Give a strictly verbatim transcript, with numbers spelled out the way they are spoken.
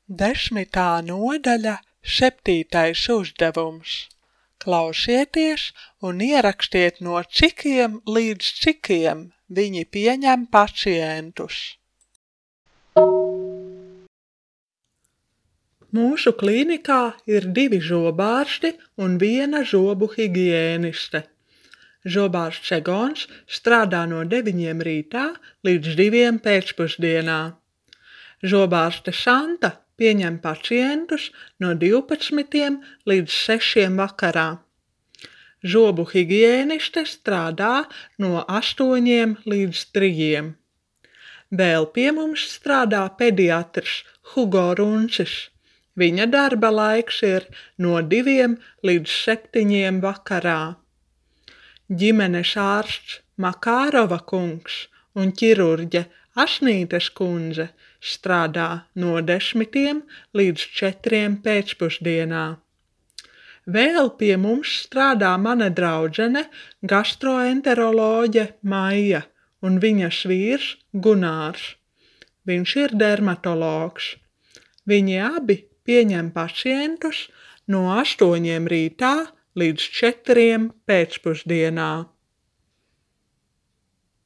Desmitā nodaļa, septītais uzdevums. Klausieties un ierakstiet no cikiem līdz cikiem viņi pieņem pacientus. Mūsu klīnikā ir divi zobārsti un viena zobu higiēniste. Zobārsts Egons strādā no deviņiem rītā līdz diviem pēcpusdienā. Zobārste Santa pieņem pacientus no divpadsmitiem līdz sešiem vakarā. Zobu higiēniste strādā no astoņiem līdz trijiem. Vēl pie mums strādā pediatrs Hugo Runcis. Viņa darba laiks ir no diviem līdz septiņiem vakarā. Ģimenes ārsts Makārova kungs un ķirurģe Asnītes kundze strādā no desmitiem līdz četriem pēcpusdienā. Vēl pie mums strādā mana draudzene gastroenteroloģe Maija un viņas vīrs Gunārs. Viņš ir dermatologs. Viņi abi pieņem pacientus no astoņiem rītā līdz četriem pēcpusdienā.